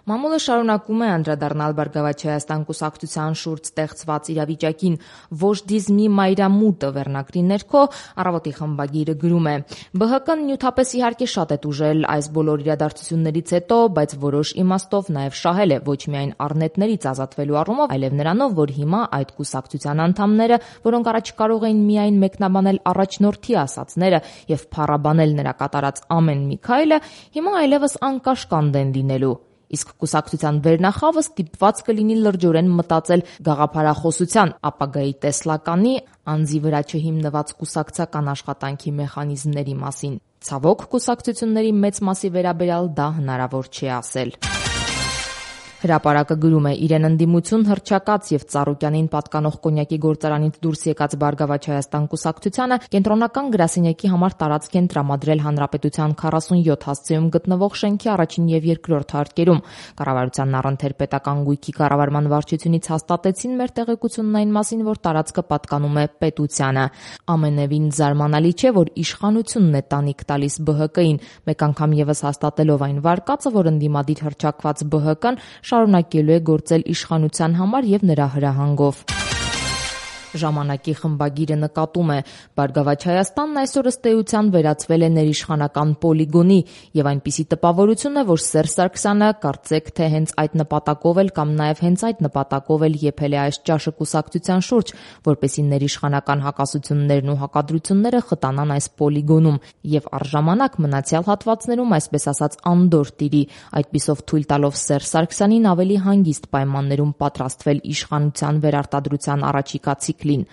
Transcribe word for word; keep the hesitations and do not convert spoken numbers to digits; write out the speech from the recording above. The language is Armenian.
Մամուլը շարունակում է անդրադառնալ Բարգավաճ Հայաստան կուսակցության շուրջ ստեղծված իրավիճակին։ «Վոժդիզմի մայրամուտը» վերնագրի ներքո «Առավոտ»-ի խմբագիրը գրում է. «Բը հը կը-ն նյութապես իհարկե շատ է տուժել այս բոլոր իրադարձություններից հետո, բայց որոշ իմաստով նաև շահել է ոչ միայն առնետներից ազատվելու առումով, այլև նրանով, որ հիմա այդ կուսակցության անդամները, որոնք առաջ կարող էին միայն մեկնաբանել առաջնորդի ասածները եւ փառաբանել նրա կատարած ամեն մի քայլը, հիմա այլևս անկաշկանդ են լինելու։ Իսկ կուսակցության վերնախավը ստիպված կլինի լրջորեն մտածել գաղափարախոսության, ապագայի տեսլականի, անձի վրա չհիմնված կուսակցական աշխատանքի մեխանիզմների մասին։ Ցավոք, կուսակցությունների մեծ մասի վերաբերյալ դա հնարավոր չէ ասել»։ Հրապարակը գրում է. «Իրեն ընդդիմություն հռչակած եւ Ծառուկյանին պատկանող կոնյակի գործարանից դուրս եկած Բարգավաճ Հայաստան կուսակցությանը կենտրոնական գրասենյակի համար տարածք են տրամադրել Հանրապետության քառասունյոթ հասցեում գտնվող շենքի առաջին եւ երկրորդ հարկերում։ Կառավարությանն առընթեր պետական գույքի կառավարման վարչությունից հաստատեցին մեր տեղեկությունն այն մասին, որ տարածքը պատկանում է պետությանը։ Ամենևին զարմանալի չէ, որ իշխանությունն է տանիք տալիս Բը Հը Կը-ին, մեկ անգամ եւս հաստատելով այն վարկածը, որ ընդդիմադիր հռչակված Բը Հը Կը-ն շարունակելու է գործել իշխանության համար եւ նրա հրահանգով»։ Ժամանակի խմբագիրը նկատում է. «Բարգավաճ Հայաստանն այսօր ըստ էության վերածվել է ներիշխանական պոլիգոնի եւ այնպիսի տպավորություն է, որ Սերժ Սարգսյանը կարծեք թե հենց այդ նպատակով էլ կամ նաեւ հենց այդ նպատակով էլ եփել է այս ճաշը կուսակցության շուրջ, որպեսզի ներիշխանական հակասություններն ու հակադրությունները խտանան այս պոլիգոնում եւ առժամանակ մնացյալ հատվածներում, այսպես ասած, անդորր տիրի, այդպիսով թույլ տալով Սերժ Սարգսյանին ավելի հանգիստ պայմաններում պատրաստվել իշխանության վերարտադրության առաջիկա ցիկլին։